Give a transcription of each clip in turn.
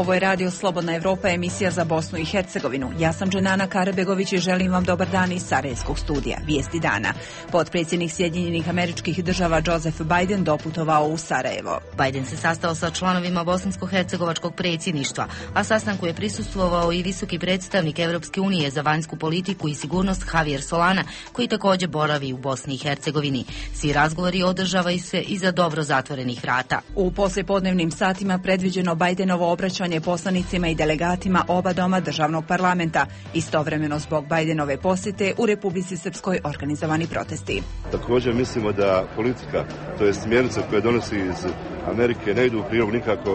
Ovo je Radio Slobodna Evropa, emisija za Bosnu i Hercegovinu. Ja sam Dženana Karabegović i želim vam dobar dan iz Sarajevskog studija. Vijesti dana. Potpredsjednik Sjedinjenih Američkih Država Joseph Biden doputovao u Sarajevo. Biden se sastao sa članovima bosansko-hercegovačkog predsjedništva, a sastanku je prisustvovao i visoki predstavnik Europske unije za vanjsku politiku i sigurnost Javier Solana, koji također boravi u Bosni i Hercegovini. Svi razgovori održavaju se iza dobro zatvorenih vrata. U poslijepodnevnim satima predviđeno Bidenovo obraćanje poslanicima i delegatima oba doma državnog parlamenta. Istovremeno zbog Bidenove posjete u Republici Srpskoj organizovani protesti. Također mislimo da politika, to je smjernica koje donosi iz Amerike, ne idu u prilog nikako,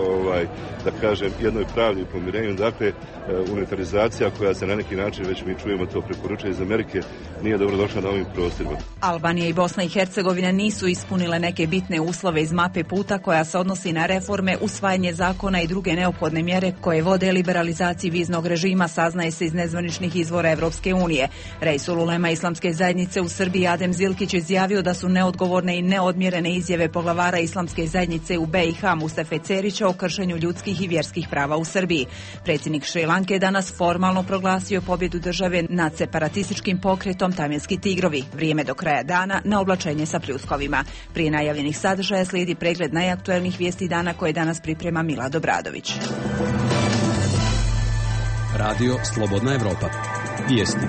da kažem, jednoj pravdi i pomirenju. Dakle, unitarizacija koja se na neki način, već mi čujemo to, preporučuje iz Amerike, nije dobro došla na ovim prostorima. Albanija i Bosna i Hercegovina nisu ispunile neke bitne uslove iz mape puta koja se odnosi na reforme, usvajanje zakona i druge neophodne mjere koje vode liberalizaciji viznog režima, saznaje se iz nezvaničnih izvora Evropske unije. Reisul ulema Islamske zajednice u Srbiji Adem Zilkić izjavio da su neodgovorne i neodmjerene izjave poglavara Islamske zajednice u BiH Mustafe Cerića o kršenju ljudskih i vjerskih prava u Srbiji. Predsjednik Šri Lanke je danas formalno proglasio pobjedu države nad separatističkim pokretom Tamilski tigrovi. Vrijeme do kraja dana na oblačenje sa pljuskovima. Prije najavljenih sadržaja slijedi pregled najaktuelnijih vijesti dana koje danas priprema Mila Dobradović. Radio Slobodna Evropa. Vijesti.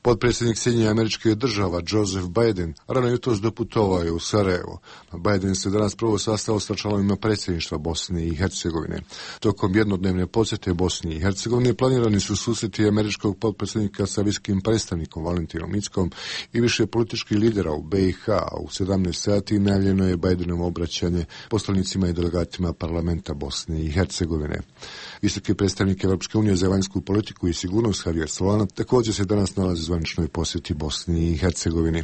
Potpredsjednik Sjedinjenih Američkih Država Joseph Biden rano jutros doputovao je u Sarajevo. Biden se danas prvo sastao sa članovima predsjedništva Bosne i Hercegovine. Tokom jednodnevne posjete Bosni i Hercegovine planirani su susreti američkog potpredsjednika sa visokim predstavnikom Valentinom Inckom i više političkih lidera u BiH. U 17 sati najavljeno je Bidenovo obraćanje poslanicima i delegatima parlamenta Bosne i Hercegovine. Visoki predstavnik Europske unije za vanjsku politiku i sigurnost Javier Solana također se danas nalazi u zvaničnoj posjeti Bosni i Hercegovini.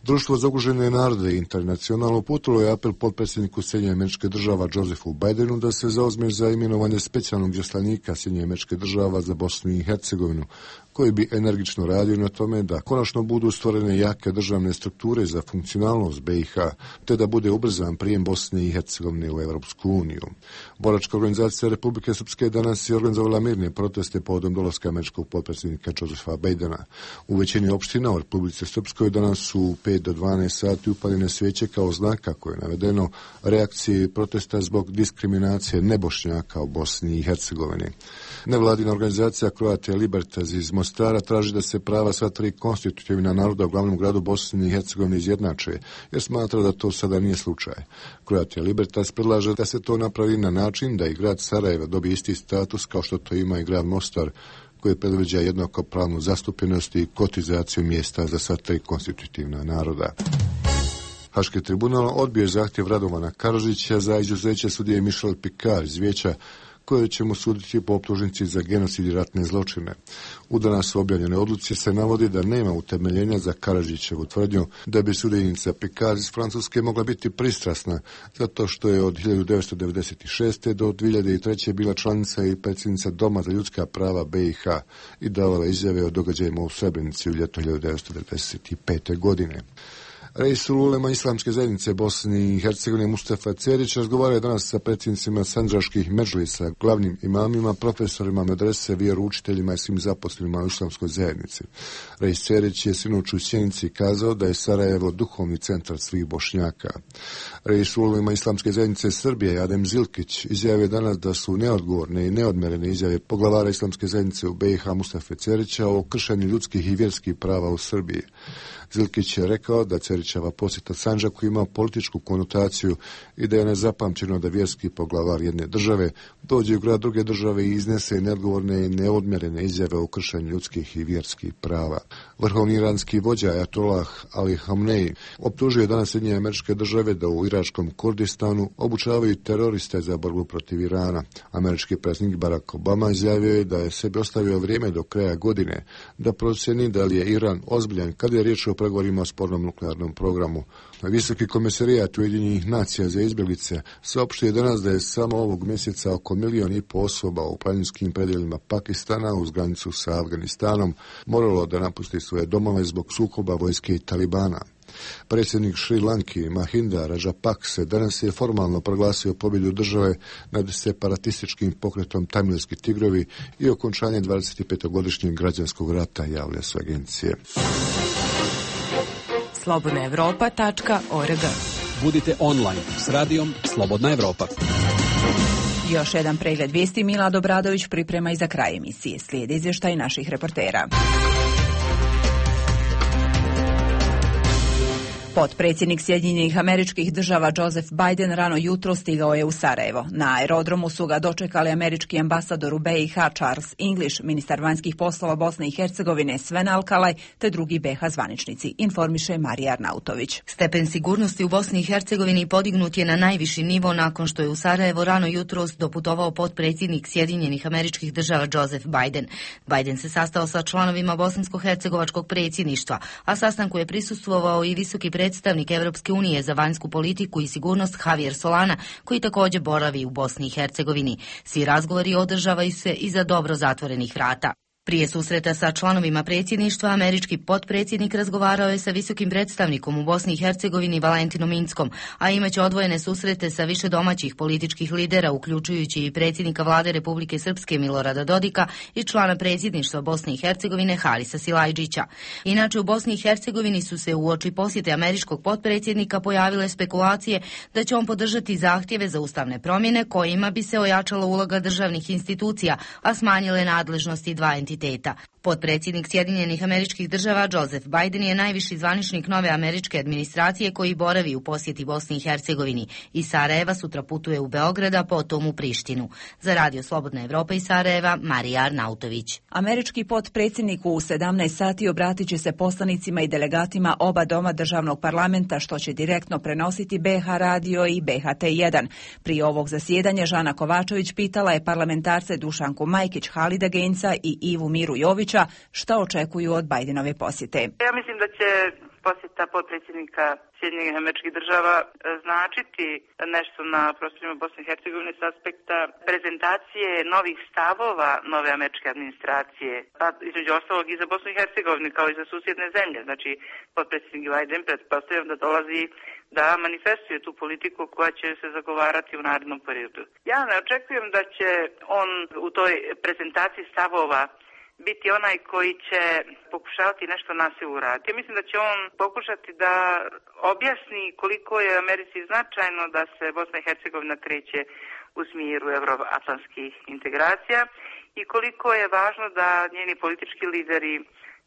Društvo za ugrožene narode internacionalno uputilo je apel potpredsjedniku Sjedinjenih Američkih Država Josephu Bidenu da se zauzme za imenovanje specijalnog izaslanika Sjedinjenih Američkih Država za Bosnu i Hercegovinu, koji bi energično radio na tome da konačno budu stvorene jake državne strukture za funkcionalnost BiH, te da bude ubrzan prijem Bosne i Hercegovine u Europsku uniju. Boračka organizacija Republike Srpske danas je organizovala mirne proteste povodom dolaska američkog potpredsjednika Josepha Bidena. U većini opština u Republici Srpskoj danas su u 5 do 12 sati upaljene svijeće kao znak, kako je navedeno, reakcije protesta zbog diskriminacije nebošnjaka u Bosni i Hercegovini. Nevladina organizacija Croatia Libertas iz Mostara traži da se prava sva tri konstitutivna naroda u glavnom gradu Bosne i Hercegovine izjednače, jer smatra da to sada nije slučaj. Croatia Libertas predlaže da se to napravi na način da i grad Sarajevo dobije isti status kao što to ima i grad Mostar, koji predviđa jednakopravnu zastupljenost i kotizaciju mjesta za sva tri konstitutivna naroda. Haški tribunal odbio zahtjev Radovana Karadžića za izuzeće sudije Michel Picard iz vijeća, koje će mu suditi po optužnici za genocid i ratne zločine. U danas objavljene odluci se navodi da nema utemeljenja za Karadžićevu tvrdnju da bi sudjenica Picard iz Francuske mogla biti pristrasna, zato što je od 1996. do 2003. bila članica i predsjednica Doma za ljudska prava BiH i davala izjave o događajima u Srebrenici u ljeto 1995. godine. Reisul ulema Islamske zajednice Bosne i Hercegovine Mustafa Cerić razgovarao je danas sa predsjednicima sandžaških medžlisa, glavnim imamima, profesorima medrese, vjeroučiteljima i svim zaposlenima u Islamskoj zajednici. Reis Cerić je sinoć u Sjenici kazao da je Sarajevo duhovni centar svih Bošnjaka. Reisul ulema Islamske zajednice Srbije Adem Zilkić izjavio danas da su neodgovorne i neodmerene izjave poglavara Islamske zajednice u BiH Mustafe Cerića o kršenju ljudskih i vjerskih prava u Srbiji. Zilkić je rekao da Cerićeva posjeta Sandžaku ima političku konotaciju i da je nezapamćeno da vjerski poglavar jedne države dođe u grad druge države i iznese neodgovorne i neodmjerene izjave o kršenju ljudskih i vjerskih prava. Vrhovni iranski vođa Ajatollah Ali Khamenei optužio je danas Sjedinjene Američke Države da u iračkom Kurdistanu obučavaju teroriste za borbu protiv Irana. Američki predsjednik Barack Obama izjavio je da je sebi ostavio vrijeme do kraja godine da procjeni da li je Iran ozbiljan kada je riječ o pregovorima o spornom nuklearnom programu. Visoki komisarijat Ujedinjenih nacija za izbjeglice saopštio je danas da je samo ovog mjeseca oko 1,5 milijuna osoba u planinskim predjelima Pakistana uz granicu sa Afganistanom moralo da napusti svoje domove zbog sukoba vojske i Talibana. Predsjednik Šri Lanki Mahinda Rajapakse danas je formalno proglasio pobjedu države nad separatističkim pokretom Tamilski tigrovi i okončanje 25-godišnjeg građanskog rata, javlja su agencije. slobodnaevropa.org. Budite online s radijom Slobodna Evropa. Još jedan pregled vijesti Milad Obradović priprema i za kraj emisije. Slijedi izvještaj naših reportera. Potpredsjednik Sjedinjenih Američkih Država Joseph Biden rano jutro stigao je u Sarajevo. Na aerodromu su ga dočekali američki ambasador u BiH Charles English, ministar vanjskih poslova Bosne i Hercegovine Sven Alkalaj te drugi BiH zvaničnici, informiše Marija Arnautović. Stepen sigurnosti u Bosni i Hercegovini podignut je na najviši nivo nakon što je u Sarajevo rano jutros doputovao potpredsjednik Sjedinjenih Američkih Država Joseph Biden. Biden se sastao sa članovima bosansko-hercegovačkog predsjedništva, a sastanku je prisustvovao i visoki predstavnik Europske unije za vanjsku politiku i sigurnost Javier Solana, koji također boravi u Bosni i Hercegovini. Svi razgovori održavaju se iza dobro zatvorenih vrata. Prije susreta sa članovima predsjedništva, američki potpredsjednik razgovarao je sa visokim predstavnikom u Bosni i Hercegovini Valentinom Inckom, a imaće odvojene susrete sa više domaćih političkih lidera, uključujući i predsjednika vlade Republike Srpske Milorada Dodika i člana predsjedništva Bosne i Hercegovine Harisa Silajdžića. Inače, u Bosni i Hercegovini su se uoči posjete američkog potpredsjednika pojavile spekulacije da će on podržati zahtjeve za ustavne promjene kojima bi se ojačala uloga državnih institucija, a smanjile nadležnosti dva entiteta. Potpredsjednik Sjedinjenih Američkih Država Joseph Biden je najviši zvaničnik nove američke administracije koji boravi u posjeti Bosni i Hercegovini. Iz Sarajeva sutra putuje u Beograda, potom u Prištinu. Za Radio Slobodna Evropa iz Sarajeva, Marija Arnautović. Američki potpredsjednik u 17 sati obratit će se poslanicima i delegatima oba doma državnog parlamenta, što će direktno prenositi BiH radio i BHT1. Prije ovog zasjedanja Žana Kovačević pitala je parlamentarce Dušanku Majkić, Halida Genca i Ivu Miru Jovića šta očekuju od Bidenove posjete. Ja mislim da će posjeta potpredsjednika Sjedinjenih Američkih Država značiti nešto na prostorima Bosne i Hercegovine s aspekta prezentacije novih stavova nove američke administracije, pa između ostalog i za Bosnu i Hercegovinu kao i za susjedne zemlje. Znači, potpredsjednik Biden pretpostavljam da dolazi da manifestuje tu politiku koja će se zagovarati u narednom periodu. Ja ne očekujem da će on u toj prezentaciji stavova biti onaj koji će pokušavati nešto na silu uraditi. Ja mislim da će on pokušati da objasni koliko je Americi značajno da se Bosna i Hercegovina kreće u smjeru euroatlantskih integracija i koliko je važno da njeni politički lideri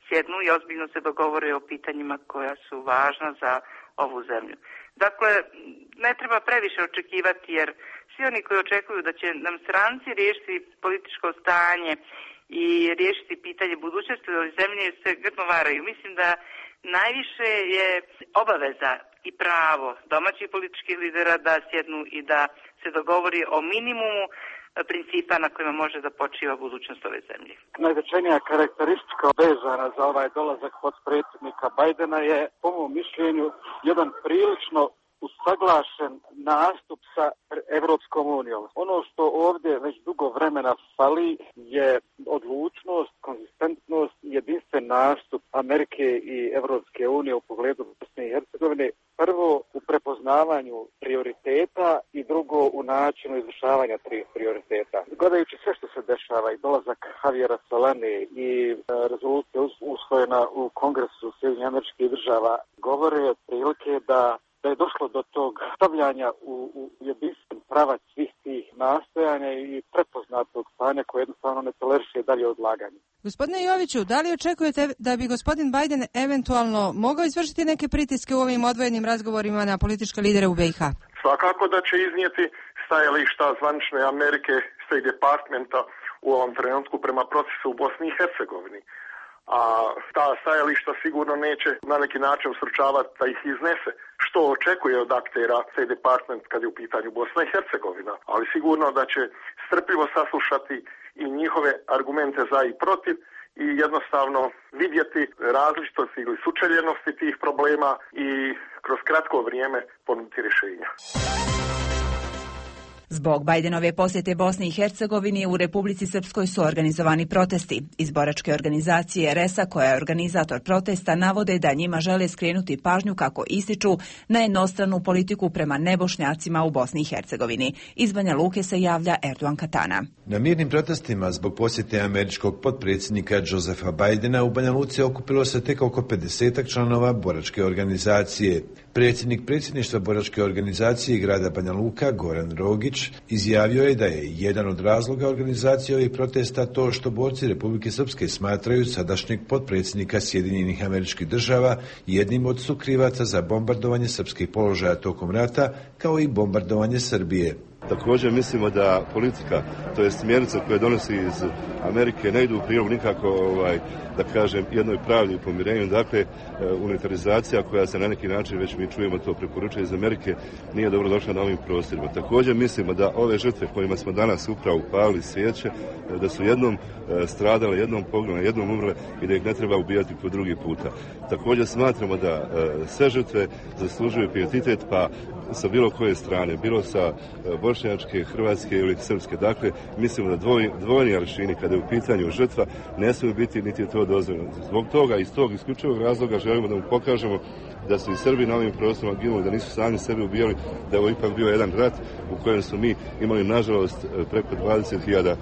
sjednu i ozbiljno se dogovore o pitanjima koja su važna za ovu zemlju. Dakle, ne treba previše očekivati jer svi oni koji očekuju da će nam stranci riješiti političko stanje i riješiti pitanje budućnosti ove zemlje se grdno varaju. Mislim da najviše je obaveza i pravo domaćih političkih lidera da sjednu i da se dogovori o minimumu principa na kojima može da počiva budućnost ove zemlje. Najznačajnija karakteristika vezana za ovaj dolazak potpredsjednika Bidena je, po mom mišljenju, jedan prilično usaglašen nastup sa Evropskom unijom. Ono što ovdje već dugo vremena fali je odlučnost, konzistentnost i jedinstven nastup Amerike i Evropske unije u pogledu Bosne i Hercegovine. Prvo u prepoznavanju prioriteta i drugo u načinu izvršavanja tih prioriteta. Gledajući sve što se dešava i dolazak Javiera Solane i rezolucija usvojena u Kongresu Sjedinjenih Američkih Država govore otprilike da je došlo do tog stavljanja u jedinstven pravac svih tih nastojanja i prepoznatog stanja koje jednostavno ne toleriše dalje odlaganje. Gospodine Joviću, da li očekujete da bi gospodin Biden eventualno mogao izvršiti neke pritiske u ovim odvojenim razgovorima na političke lidere u BiH? Svakako da će iznijeti stajališta zvanične Amerike, State Departmenta u ovom trenutku prema procesu u Bosni i Hercegovini. A ta stajališta sigurno neće na neki način usručavati da ih iznese, što očekuje od aktera State Department kad je u pitanju Bosna i Hercegovina, ali sigurno da će strpljivo saslušati i njihove argumente za i protiv i jednostavno vidjeti različitosti ili sučeljenosti tih problema i kroz kratko vrijeme ponuditi rješenja. Zbog Bajdenove posjete Bosni i Hercegovini u Republici Srpskoj su organizovani protesti. Iz boračke organizacije RES-a, koja je organizator protesta, navode da njima žele skrenuti pažnju, kako ističu, na jednostranu politiku prema nebošnjacima u Bosni i Hercegovini. Iz Banja Luke se javlja Erdogan Katana. Na mirnim protestima zbog posjete američkog potpredsjednika Josepha Bidena u Banja Luci okupilo se tek oko 50 članova boračke organizacije. Predsjednik predsjedništva boračke organizacije grada Banja Luka, Goran Rogić, izjavio je da je jedan od razloga organizacije ovih protesta to što borci Republike Srpske smatraju sadašnjeg potpredsjednika Sjedinjenih Američkih Država jednim od sukrivaca za bombardovanje srpskih položaja tokom rata, kao i bombardovanje Srbije. Također mislimo da politika, to je smjernice koje donosi iz Amerike, ne idu u prilog nikako, da kažem, jednoj pravdi i pomirenju. Dakle, unitarizacija koja se na neki način, već mi čujemo to, preporučuje iz Amerike, nije dobro došla na ovim prostorima. Također mislimo da ove žrtve kojima smo danas upravo upalili svijeće, da su jednom stradale, jednom poginule, jednom umrle i da ih ne treba ubijati po drugi puta. Također smatramo da sve žrtve zaslužuju pijetet, pa sa bilo koje strane, bilo sa bošnjačke, hrvatske ili srpske. Dakle, mislimo da dvojni aršini kada je u pitanju žrtva ne smiju biti, niti je to dozvoljeno. Zbog toga, iz tog isključivog razloga želimo da mu pokažemo da su i Srbi na ovim prostorima ginuli, da nisu sami sebi ubijali, da je ovo ipak bio jedan rat u kojem su mi imali, nažalost, preko 20.000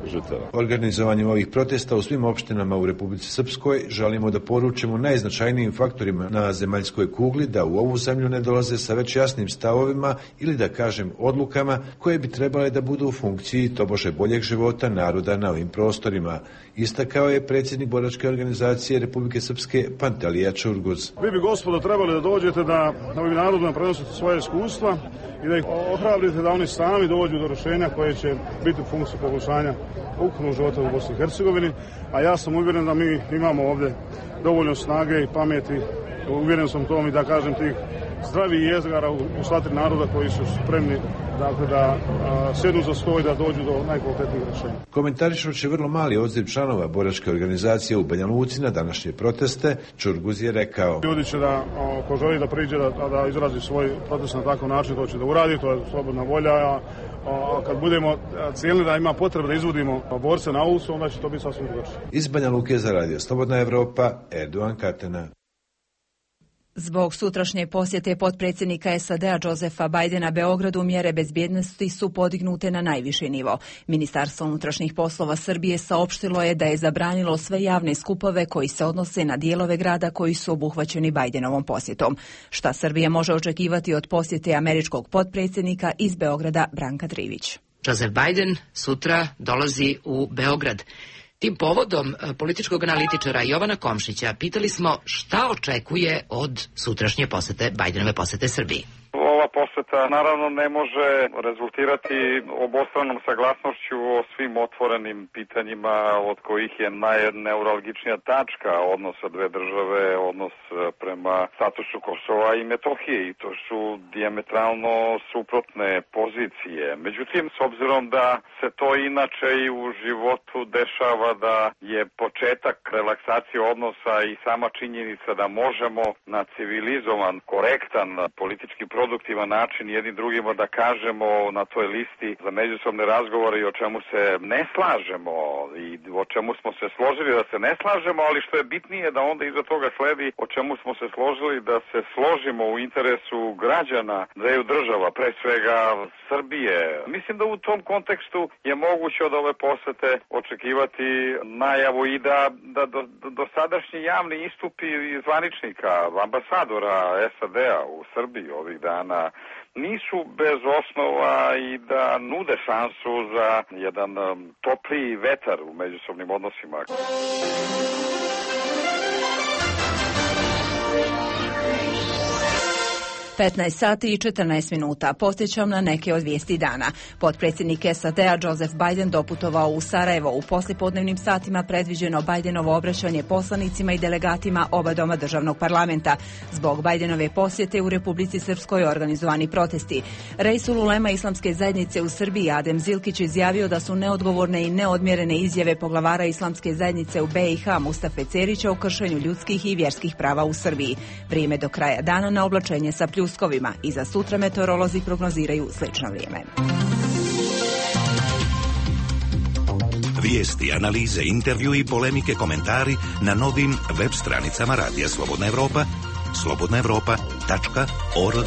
žrtava. Organizovanjem ovih protesta u svim opštinama u Republici Srpskoj želimo da poručimo najznačajnijim faktorima na zemaljskoj kugli da u ovu zemlju ne dolaze sa već jasnim stavovima ili, da kažem, odlukama koje bi trebale da budu u funkciji tobože boljeg života naroda na ovim prostorima, istakao je predsjednik boračke organizacije Republike Srpske Pantalija Čurguz. Vi bi, gospodo, trebali da dođete da ovim narodima prenosite svoje iskustva i da ih ohrabrite da oni sami dođu do rješenja koje će biti u funkciji poboljšanja ukupnog života u Bosni i Hercegovini, a ja sam uvjeren da mi imamo ovdje dovoljno snage i pameti, uvjeren sam tom i da kažem tih zdravih jezgara u sva tri naroda koji su spremni, dakle, da sjednu za stol i da dođu do najkvalitetnijih rješenja. Komentarišući vrlo mali odziv članova boračke organizacije u Banja Luci na današnje proteste, Čurguz je rekao: ljudi će da, ko želi da priđe da izrazi svoj protest na takav način, to će da uradi, to je slobodna volja, a kad budemo cijelni da ima potrebe da izvodimo borce na ulicu, onda će to biti sasvim drugačije. Iz Banja Luke za radio Slobodna Evropa, Erdogan Katana. Zbog sutrašnje posjete potpredsjednika SAD-a Josepha Bidena Beogradu, mjere bezbjednosti su podignute na najviši nivo. Ministarstvo unutrašnjih poslova Srbije saopštilo je da je zabranilo sve javne skupove koji se odnose na dijelove grada koji su obuhvaćeni Bidenovom posjetom. Šta Srbija može očekivati od posjete američkog potpredsjednika? Iz Beograda Branka Trivić. Joseph Biden sutra dolazi u Beograd. Tim povodom političkog analitičara Jovana Komšića pitali smo šta očekuje od sutrašnje posete, Bidenove posete Srbiji. Ova poseta naravno ne može rezultirati obostranom saglasnošću o svim otvorenim pitanjima, od kojih je najneuralgičnija tačka odnosa dve države, odnos prema statusu Kosova i Metohije, i to su dijametralno suprotne pozicije. Međutim, s obzirom da se to inače i u životu dešava, da je početak relaksacije odnosa i sama činjenica da možemo na civilizovan, korektan, politički produktivan način jednim drugima da kažemo na toj listi za međusobne razgovore i o čemu se ne slažemo i o čemu smo se složili da se ne slažemo, ali što je bitnije da onda iza toga sledi o čemu smo se složili da se složimo u interesu građana dveju država, pre svega Srbije. Mislim da u tom kontekstu je moguće od ove posete očekivati najavu i da dosadašnji javni istupi zvaničnika, ambasadora SAD-a u Srbiji ovih dana nisu bez osnova i da nude šansu za jedan topliji vetar u međusobnim odnosima. 15 sati i 14 minuta. Podsjećam na neke od vijesti dana. Potpredsjednik SAD-a Joseph Biden doputovao u Sarajevo. U poslijepodnevnim satima predviđeno Bidenovo obraćanje poslanicima i delegatima oba doma državnog parlamenta. Zbog Bidenove posjete u Republici Srpskoj organizovani protesti. Reisul ulema Islamske zajednice u Srbiji Adem Zilkić izjavio da su neodgovorne i neodmjerene izjave poglavara Islamske zajednice u BiH Mustafe Cerića o kršenju ljudskih i vjerskih prava u Srbiji. Vrijeme do kraja dana na oblačenje sa pljuskovima. I za sutra meteorolozi prognoziraju slično vrijeme. Vijesti, analize, intervju i polemike, komentari na novim web stranicama Radija Slobodna Evropa, slobodnaevropa.org.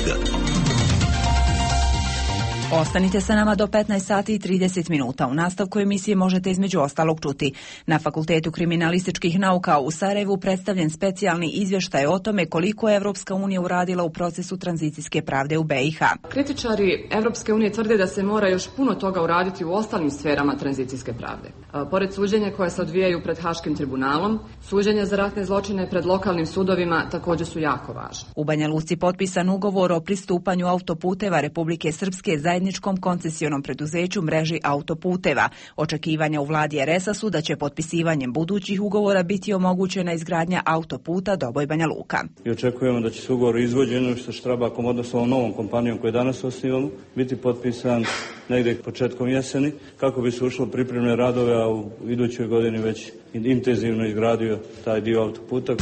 Ostanite sa nama do 15 sati i 30 minuta. U nastavku emisije možete između ostalog čuti. Na Fakultetu kriminalističkih nauka u Sarajevu predstavljen specijalni izvještaj o tome koliko je Evropska unija uradila u procesu tranzicijske pravde u BiH. Kritičari Evropske unije tvrde da se mora još puno toga uraditi u ostalim sferama tranzicijske pravde. Pored suđenja koje se odvijaju pred Haškim tribunalom, suđenja za ratne zločine pred lokalnim sudovima također su jako važni. U Banja Luci potpisan ugovor o pristupanju autoputeva Republike Srpske zajedničkom koncesionom preduzeću mreži autoputeva. Očekivanja u vladi RS-a su da će potpisivanjem budućih ugovora biti omogućena izgradnja autoputa Doboj-Banja Luka. I očekujemo da će se ugovor o izvođenju sa Štrabakom, odnosno ovom novom kompanijom koju danas osnivamo, biti potpisan negdje početkom jeseni, kako bi se ušlo pripremne radove, a u idućoj godini već intenzivno izgradio taj dio autoputa.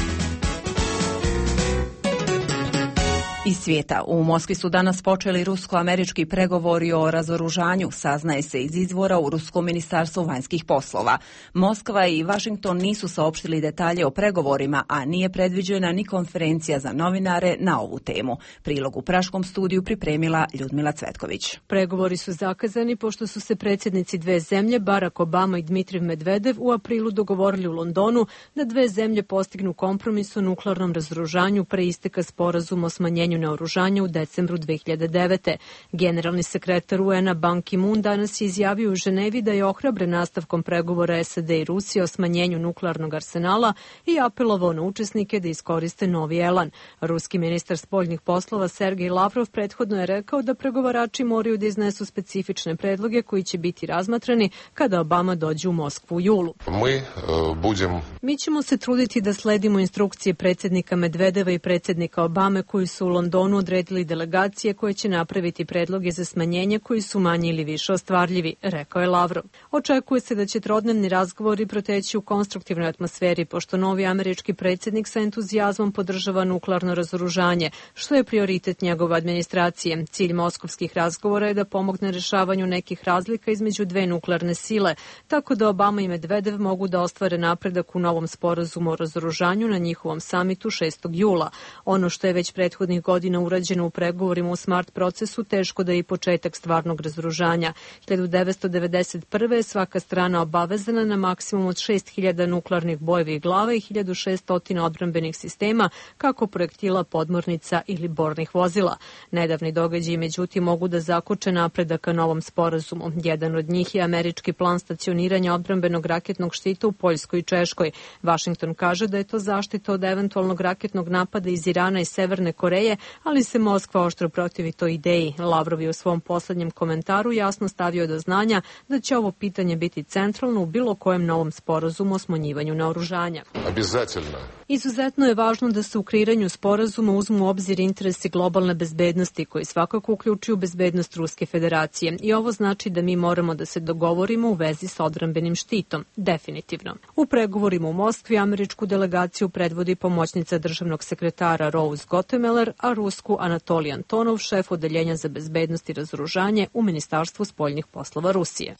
Iz svijeta. U Moskvi su danas počeli rusko-američki pregovori o razoružanju, saznaje se iz izvora u Ruskom ministarstvu vanjskih poslova. Moskva i Washington nisu saopštili detalje o pregovorima, a nije predviđena ni konferencija za novinare na ovu temu. Prilog u Praškom studiju pripremila Ljudmila Cvetković. Pregovori su zakazani pošto su se predsjednici dve zemlje, Barack Obama i Dmitriv Medvedev, u aprilu dogovorili u Londonu da dve zemlje postignu kompromis o nuklearnom razoružanju pre isteka sporazuma o smanjenju naoružanja u decembru 2009. Generalni sekretar UN-a Ban Ki-moon danas je izjavio u Ženevi da je ohrabren nastavkom pregovora SAD i Rusije o smanjenju nuklearnog arsenala i apelovao na učesnike da iskoriste novi elan. Ruski ministar spoljnih poslova Sergej Lavrov prethodno je rekao da pregovarači moraju da iznesu specifične predloge koji će biti razmatrani kada Obama dođe u Moskvu u julu. Mi ćemo se truditi da sledimo instrukcije predsjednika Medvedeva i predsjednika Obame koji su u Londonu odredili delegacije koje će napraviti predloge za smanjenje koji su manje ili više ostvarljivi, rekao je Lavrov. Očekuje se da će trodnevni razgovori proteći u konstruktivnoj atmosferi, pošto novi američki predsjednik sa entuzijazmom podržava nuklearno razoružanje, što je prioritet njegove administracije. Cilj moskovskih razgovora je da pomogne rešavanju nekih razlika između dve nuklearne sile, tako da Obama i Medvedev mogu da ostvare napredak u novom sporazumu o razoružanju na njihovom samitu 6. jula. Ono što je već prethodnih godina urađeno u pregovorima u SMART procesu, teško da je i početak stvarnog razoružanja. 1991. je svaka strana obavezana na maksimum od 6.000 nuklearnih bojevih glava i 1.600 odbrambenih sistema, kako projektila, podmornica ili bornih vozila. Nedavni događaji, međutim, mogu da zakoče napredak ka novom sporazumu. Jedan od njih je američki plan stacioniranja odbrambenog raketnog štita u Poljskoj i Češkoj. Washington kaže da je to zaštita od eventualnog raketnog napada iz Irana i Severne Koreje, ali se Moskva oštro protivi toj ideji. Lavrov je u svom poslednjem komentaru jasno stavio do znanja da će ovo pitanje biti centralno u bilo kojem novom sporazumu o smanjivanju naoružanja. Izuzetno je važno da se u kreiranju sporazuma uzmu u obzir interesi globalne bezbednosti, koji svakako uključuju bezbednost Ruske federacije. I ovo znači da mi moramo da se dogovorimo u vezi sa odbrambenim štitom. Definitivno. U pregovorima u Moskvi američku delegaciju predvodi pomoćnica državnog sekretara Rose Gottemeller, a rusku Anatolij Antonov, šef odeljenja za bezbednost i razoružanje u Ministarstvu spoljnih poslova Rusije.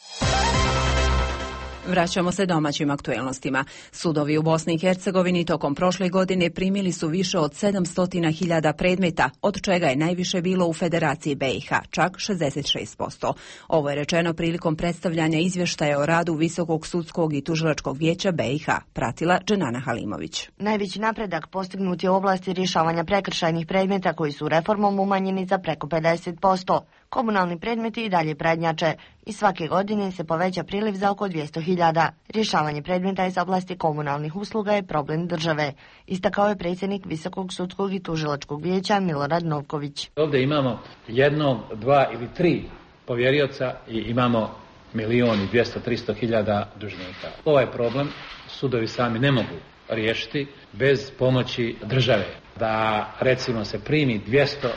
Vraćamo se domaćim aktuelnostima. Sudovi u Bosni i Hercegovini tokom prošle godine primili su više od 700.000 predmeta, od čega je najviše bilo u Federaciji BiH, čak 66%. Ovo je rečeno prilikom predstavljanja izvještaja o radu Visokog sudskog i tužilačkog vijeća BiH, pratila Dženana Halimović. Najveći napredak postignut je u oblasti rješavanja prekršajnih predmeta koji su reformom umanjeni za preko 50%. Komunalni predmeti i dalje prednjače i svake godine se poveća priliv za oko 200.000. Rješavanje predmeta iz oblasti komunalnih usluga je problem države, istakao je predsjednik Visokog sudskog i tužilačkog vijeća Milorad Novković. Ovdje imamo 1, 2 ili 3 povjerioca i imamo 1.200.000-300.000 dužnika. Ovaj problem sudovi sami ne mogu riješiti bez pomoći države. Da recimo se primi 200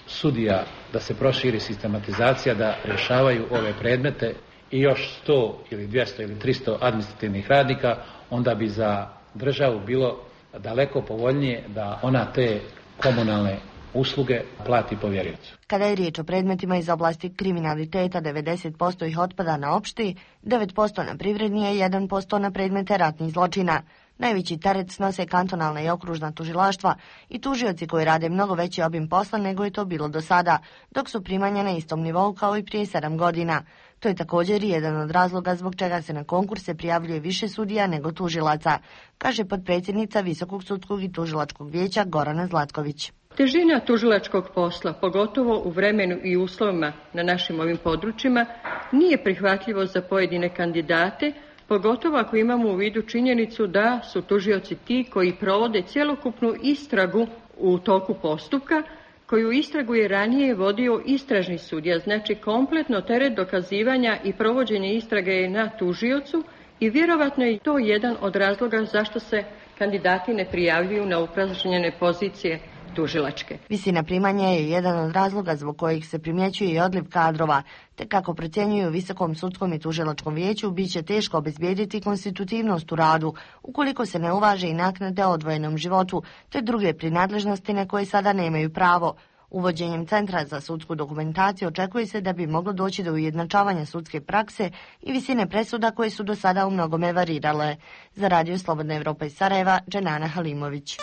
sudija, da se proširi sistematizacija, da rješavaju ove predmete i još 100 ili 200 ili 300 administrativnih radnika, onda bi za državu bilo daleko povoljnije da ona te komunalne usluge plati povjeriocu. Kada je riječ o predmetima iz oblasti kriminaliteta, 90% ih otpada na opšti, 9% na privredni, a 1% na predmete ratnih zločina. Najveći teret snose kantonalna i okružna tužilaštva i tužioci koji rade mnogo veći obim posla nego je to bilo do sada, dok su primanja na istom nivou kao i prije 7 godina. To je također jedan od razloga zbog čega se na konkurse prijavljuje više sudija nego tužilaca, kaže potpredsjednica Visokog sudskog i tužilačkog vijeća Gorana Zlatković. Težina tužilačkog posla, pogotovo u vremenu i uslovima na našim ovim područjima, nije prihvatljivo za pojedine kandidate, pogotovo ako imamo u vidu činjenicu da su tužioci ti koji provode cjelokupnu istragu u toku postupka, koju istragu je ranije vodio istražni sudija, znači kompletno teret dokazivanja i provođenje istrage je na tužiocu i vjerovatno je to jedan od razloga zašto se kandidati ne prijavljuju na upražnjene pozicije tužilačke. Visina primanja je jedan od razloga zbog kojih se primjećuje i odliv kadrova, te kako procjenjuju u Visokom sudskom i tužilačkom vijeću, bit će teško obezbijediti konstitutivnost u radu, ukoliko se ne uvaže i naknade o odvojenom životu, te druge prinadležnosti na koje sada nemaju pravo. Uvođenjem Centra za sudsku dokumentaciju očekuje se da bi moglo doći do ujednačavanja sudske prakse i visine presuda koje su do sada u mnogome varirale. Za Radio Slobodna Evropa iz Sarajeva, Dženana Halimović.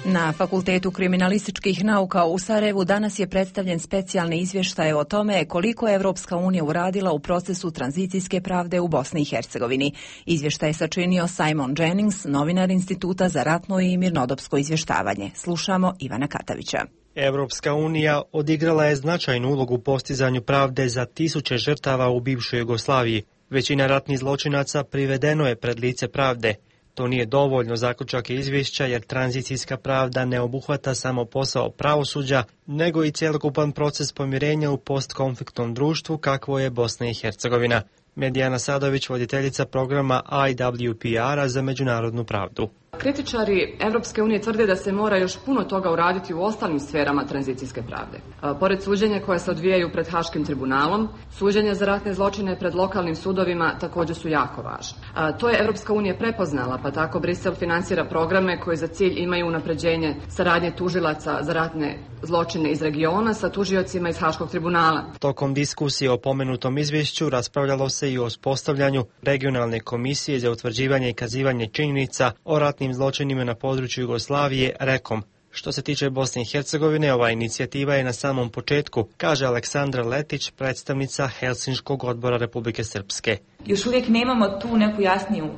Na Fakultetu kriminalističkih nauka u Sarajevu danas je predstavljen specijalni izvještaj o tome koliko je Evropska unija uradila u procesu tranzicijske pravde u Bosni i Hercegovini. Izvještaj je sačinio Simon Jennings, novinar Instituta za ratno i mirnodopsko izvještavanje. Slušamo Ivana Katavića. Evropska unija odigrala je značajnu ulogu u postizanju pravde za tisuće žrtava u bivšoj Jugoslaviji. Većina ratnih zločinaca privedeno je pred lice pravde. To nije dovoljno, zaključak je izvješća, jer tranzicijska pravda ne obuhvata samo posao pravosuđa, nego i cjelokupan proces pomirenja u postkonfliktnom društvu kakvo je Bosna i Hercegovina. Medijana Sadović, voditeljica programa IWPR-a za međunarodnu pravdu. Kritičari Evropske unije tvrde da se mora još puno toga uraditi u ostalim sferama tranzicijske pravde. Pored suđenja koje se odvijaju pred Haškim tribunalom, suđenja za ratne zločine pred lokalnim sudovima također su jako važne. To je Evropska unija prepoznala, pa tako Brisel financira programe koji za cilj imaju unapređenje saradnje tužilaca za ratne zločine iz regiona sa tužiocima iz Haškog tribunala. Tokom diskusije o pomenutom izvješću raspravljalo se i o uspostavljanju regionalne komisije za utvrđivanje i kazivanje činjenica o ratnim zločinima na području Jugoslavije, REKOM. Što se tiče Bosne i Hercegovine, ova inicijativa je na samom početku, kaže Aleksandra Letić, predstavnica Helsinškog odbora Republike Srpske. Još uvijek nemamo tu neku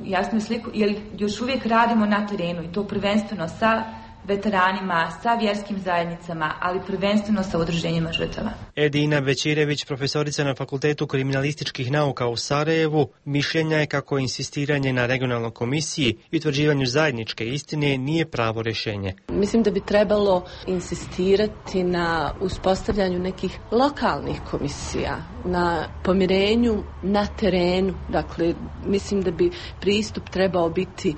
jasniju sliku, jer još uvijek radimo na terenu i to prvenstveno sa veteranima, sa vjerskim zajednicama, ali prvenstveno sa udruženjima žrtava. Edina Bećirević, profesorica na Fakultetu kriminalističkih nauka u Sarajevu, mišljenja je kako insistiranje na regionalnoj komisiji i utvrđivanju zajedničke istine nije pravo rješenje. Mislim da bi trebalo insistirati na uspostavljanju nekih lokalnih komisija, na pomirenju na terenu. Dakle, mislim da bi pristup trebao biti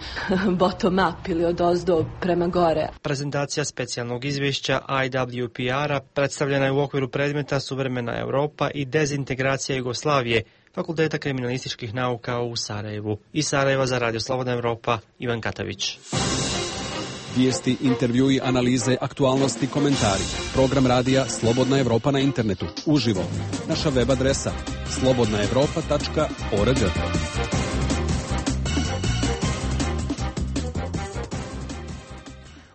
bottom up ili odozdo prema gore. Prezentacija specijalnog izvješća IWPR-a predstavljena je u okviru predmeta Suvremena Europa i dezintegracija Jugoslavije Fakulteta kriminalističkih nauka u Sarajevu. Iz Sarajeva za Radio Slobodna Evropa, Ivan Katavić. Vijesti, intervjui, analize, aktualnosti, komentari. Program radija Slobodna Evropa na internetu. Uživo. Naša web adresa slobodnaevropa.org.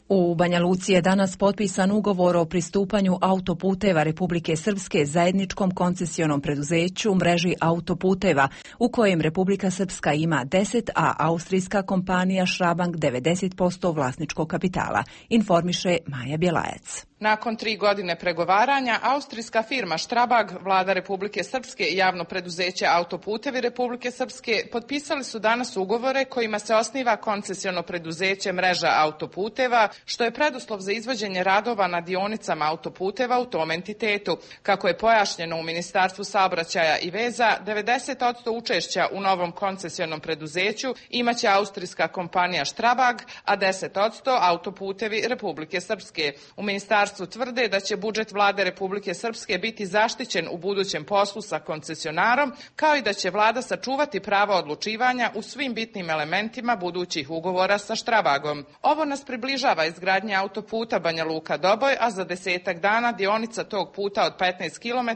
U Banja Luci je danas potpisan ugovor o pristupanju autoputeva Republike Srpske zajedničkom koncesionom preduzeću mreži autoputeva, u kojem Republika Srpska ima 10, a austrijska kompanija Schrabank 90% vlasničkog kapitala, informiše Maja Bjelajac. Nakon 3 godine pregovaranja, austrijska firma Strabag, vlada Republike Srpske i javno preduzeće Autoputevi Republike Srpske potpisali su danas ugovore kojima se osniva koncesiono preduzeće mreža autoputeva, što je preduslov za izvođenje radova na dionicama autoputeva u tom entitetu. Kako je pojašnjeno u Ministarstvu saobraćaja i veza, 90% učešća u novom koncesionom preduzeću imaće austrijska kompanija Strabag, a 10% Autoputevi Republike Srpske. U Ministarstvu ministarstvu tvrde da će budžet vlade Republike Srpske biti zaštićen u budućem poslu sa koncesionarom, kao i da će vlada sačuvati prava odlučivanja u svim bitnim elementima budućih ugovora sa Strabagom. Ovo nas približava izgradnje autoputa Banja Luka-Doboj, a za 10 dana dionica tog puta od 15 km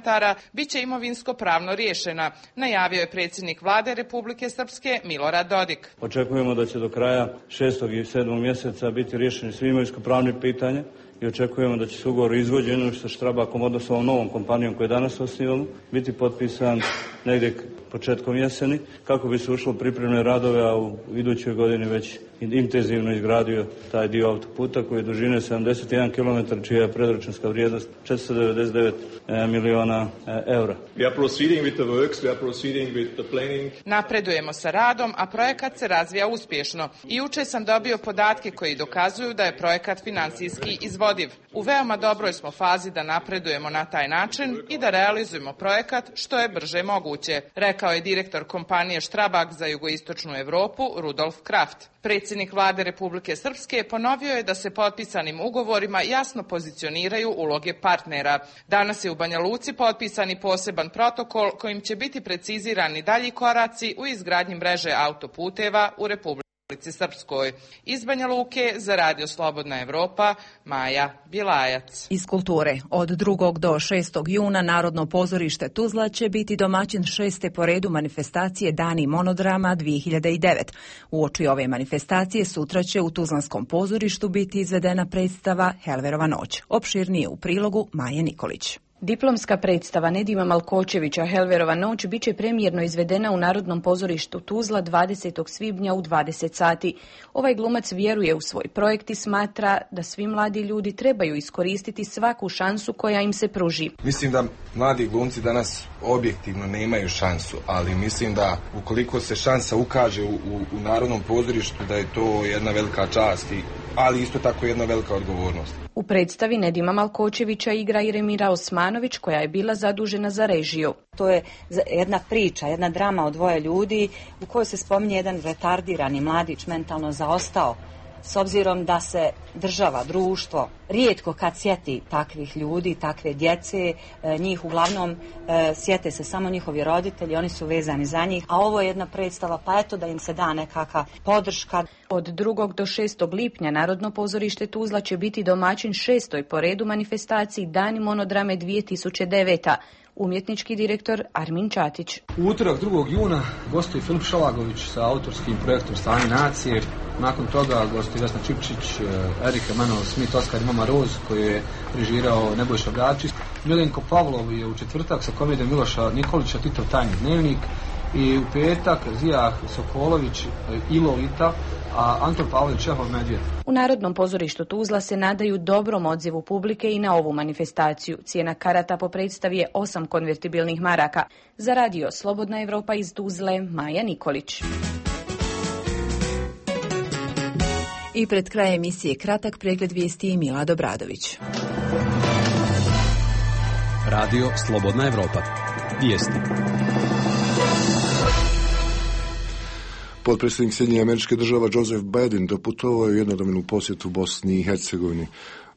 biće imovinsko-pravno riješena, najavio je predsjednik vlade Republike Srpske Milorad Dodik. Očekujemo da će do kraja 6. i 7. mjeseca biti riješeni svi imovinsko-pravni pitanja i očekujemo da će se ugovor o izvođenju sa Štrabakom, odnosno novom kompanijom koju danas osnivamo, biti potpisan negdje početkom jeseni, kako bi se ušlo pripremne radove, a u idućoj godini već intenzivno izgradio taj dio autoputa koji je dužine 71 km, čija je predračunska vrijednost 499 miliona eura. Napredujemo sa radom, a projekat se razvija uspješno. I juče sam dobio podatke koji dokazuju da je projekat finansijski izvodiv. U veoma dobroj smo fazi da napredujemo na taj način i da realizujemo projekat što je brže moguće, rekao je direktor kompanije Strabag za jugoistočnu Evropu Rudolf Kraft. Predsjednik vlade Republike Srpske ponovio je da se potpisanim ugovorima jasno pozicioniraju uloge partnera. Danas je u Banja Luci potpisani poseban protokol kojim će biti precizirani dalji koraci u izgradnji mreže autoputeva u Republici Srpskoj. Iz Banja Luke za Radio Slobodna Evropa, Maja Bjelajac. Iz kulture. Od 2. do 6. juna Narodno pozorište Tuzla će biti domaćin 6. po redu manifestacije Dani monodrama 2009. Uoči ove manifestacije sutra će u Tuzlanskom pozorištu biti izvedena predstava Helverova noć. Opširnije u prilogu Maje Nikolić. Diplomska predstava Nedima Malkočevića Helverova noć biće premijerno izvedena u Narodnom pozorištu Tuzla 20. svibnja u 20 sati. Ovaj glumac vjeruje u svoj projekt i smatra da svi mladi ljudi trebaju iskoristiti svaku šansu koja im se pruži. Mislim da mladi glumci danas objektivno nemaju šansu, ali mislim da ukoliko se šansa ukaže u Narodnom pozorištu, da je to jedna velika čast, ali isto tako jedna velika odgovornost. U predstavi Nedima Malkočevića igra i Remira Osmanović, koja je bila zadužena za režiju. To je jedna priča, jedna drama o dvoje ljudi u kojoj se spominje jedan retardirani mladić, mentalno zaostao, s obzirom da se država, društvo, rijetko kad sjeti takvih ljudi, takve djece, njih uglavnom sjete se samo njihovi roditelji, oni su vezani za njih, a ovo je jedna predstava, pa eto da im se da nekakva podrška. Od 2. do 6. lipnja Narodno pozorište Tuzla će biti domaćin 6. po redu manifestaciji Dani monodrame 2009. Umjetnički direktor Armin Čatić. U utorak 2. juna gostuje Filip Šalagović sa autorskim projektom Stanje nacije. Nakon toga gostuje Vesna Čipčić, Erika Emanuel Smith, Oskar Mama Roz, koji je režirao Nebojša Gačić. Milenko Pavlov je u četvrtak sa komedijom Miloša Nikolića Titov tajni dnevnik. I u petak Zijah Sokolović i Lolita, a Anton Pavlović Čehov Medvjed. U Narodnom pozorištu Tuzla se nadaju dobrom odzivu publike i na ovu manifestaciju. Cijena karata po predstavi je 8 konvertibilnih maraka. Za Radio Slobodna Evropa iz Tuzle, Maja Nikolić. I pred kraj emisije kratak pregled vijesti Milad Obradović. Radio Slobodna Evropa. Vijesti. Potpredsjednik Sjedinjenih Američkih Država Joseph Biden doputovao je jednodnevnu posjetu Bosni i Hercegovini.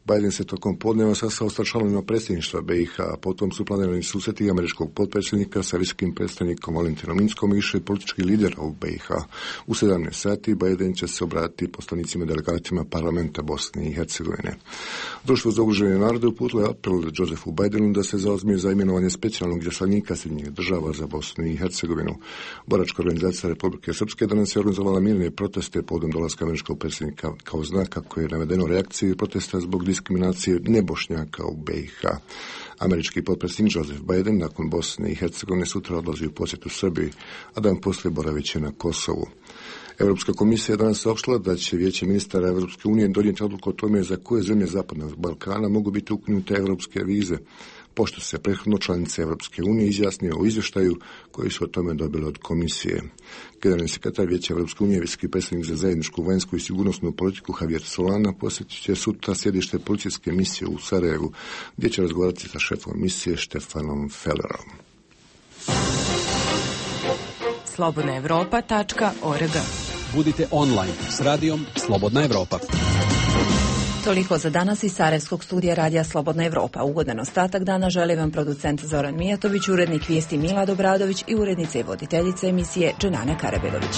Biden se tokom podneva sastao sa članovima predsjedništva BiH, a potom su planirani susreti američkog potpredsjednika sa visokim predstavnikom Valentinom Inckom i više političkih lidera u BiH. U 17 sati Biden će se obratiti poslanicima delegatima parlamenta Bosne i Hercegovine. Društvo za udružene narode uputilo je apel Josephu Bidenu da se zauzme za imenovanje specijalnog izaslanika Sjedinjenih Država za Bosnu i Hercegovinu. Boračka organizacija Republike Srpske danas je organizovala mirne proteste povodom dolaska američkog predsjednika kao znak kako je navedeno reakcije protesta zbog diskriminacije nebošnjaka u BiH. Američki potpredsjednik Joseph Biden nakon Bosne i Hercegovine sutra odlazi u posjetu Srbiji, a dan poslije boravit će na Kosovu. Europska komisija je danas saopštila da će Vijeće ministara Europske unije donijeti odluku o tome za koje zemlje Zapadnog Balkana mogu biti ukinute europske vize, pošto se prethodno članice Europske unije izjasnio o izvještaju koji su o tome dobili od komisije. Generalni sekretar Vijeća Europske unije, visoki predstavnik za zajedničku vanjsku i sigurnosnu politiku Javier Solana posjetit će sutra sjedište policijske misije u Sarajevu, gdje će razgovarati sa šefom misije Štefanom Fellerom. slobodnaevropa.org. Budite online s radijom Slobodna Evropa. Toliko za danas iz Sarajevskog studija Radija Slobodna Evropa. Ugodan ostatak dana želi vam producent Zoran Mijatović, urednik vijesti Milad Obradović i urednica i voditeljica emisije Dženana Karabedović.